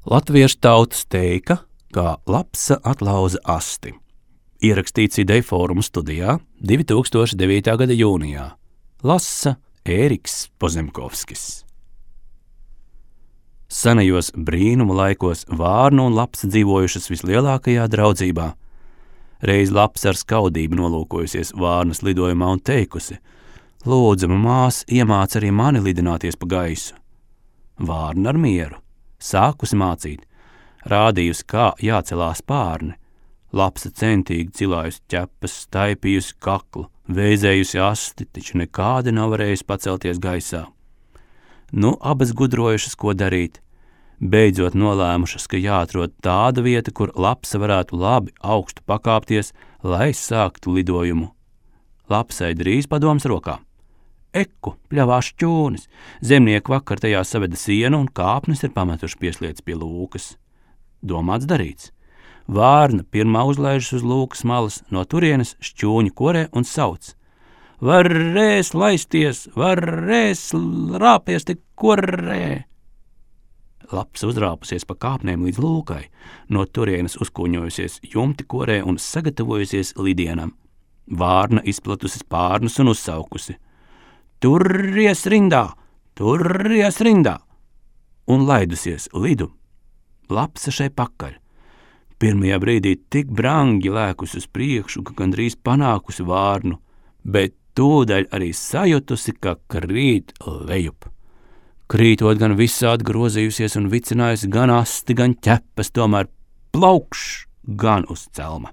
Latviešu tautas teika, kā lapsa atlauza asti. Ierakstīts Ideju fóruma studijā 2009. gada jūnijā. Lasa Ēriks Pozemkovskis. Senajos brīnumu laikos vārna un lapsa dzīvojušas vislielākajā draudzībā. Reiz lapsa ar skaudību nolūkojusies vārnas lidojumā un teikusi: "Lūdzama māsa, iemāc arī mani lidināties pa gaisu." Vārna ar mieru sākusi mācīt, rādījusi, kā jācelās pārni. Lapsa centīgi cilājusi ķepas, staipījusi kaklu, vēzējusi asti, taču nekādi nav varējusi pacelties gaisā. Nu, abas gudrojušas, ko darīt. Beidzot nolēmušas, ka jāatrod tāda vieta, kur lapsa varētu labi augstu pakāpties, lai sāktu lidojumu. Lapsai drīz padoms rokā. Eku, pļavās šķūnis, zemnieki vakar tajā saveda sienu un kāpnes ir pametuši pieslietas pie lūkas. Domāts darīts. Vārna pirmā uzlaižas uz lūkas malas, no turienes šķūņu korē un sauc: "Varēs laisties, varēs rāpies tik korē!" Lapsa uzrāpusies pa kāpnēm līdz lūkai, no turienes uzkuņojusies jumti korē un sagatavojusies lidienam. Vārna izplatusi spārnus un uzsaukusi: "Turies rindā, turies rindā!" un laidusies lidu. Lapsa šai pakaļ. Pirmajā brīdī tik brangi lēkusi uz priekšu, ka gandrīz panākusi vārnu, bet tūdaļ arī sajutusi, ka krīt lejup. Krītot gan visādi grozījusies un vicinājusi gan asti, gan ķepas, tomēr plaukš gan uz celma.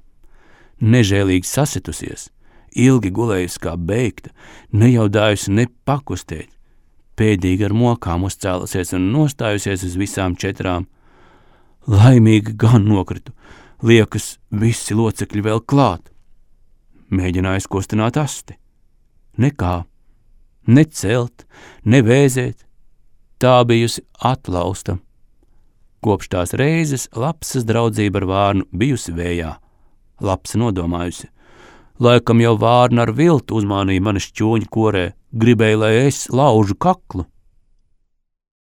Nežēlīgi sasitusies, ilgi gulējusi kā beigta, nejaudājusi ne pakustēt, pēdīgi ar mokām uzcēlusies un nostājusies uz visām četrām. Laimīgi gan nokritu, liekas, visi locekļi vēl klāt. Mēģinājusi kustināt asti. Nekā, ne celt, ne vēzēt, tā bijusi atlausta. Kopš tās reizes lapsas draudzība ar vārnu bijusi vējā. Lapsa nodomājusi: "Laikam jau vārna ar viltu uzmānīja mani šķūņu korē, gribēja, lai es laužu kaklu."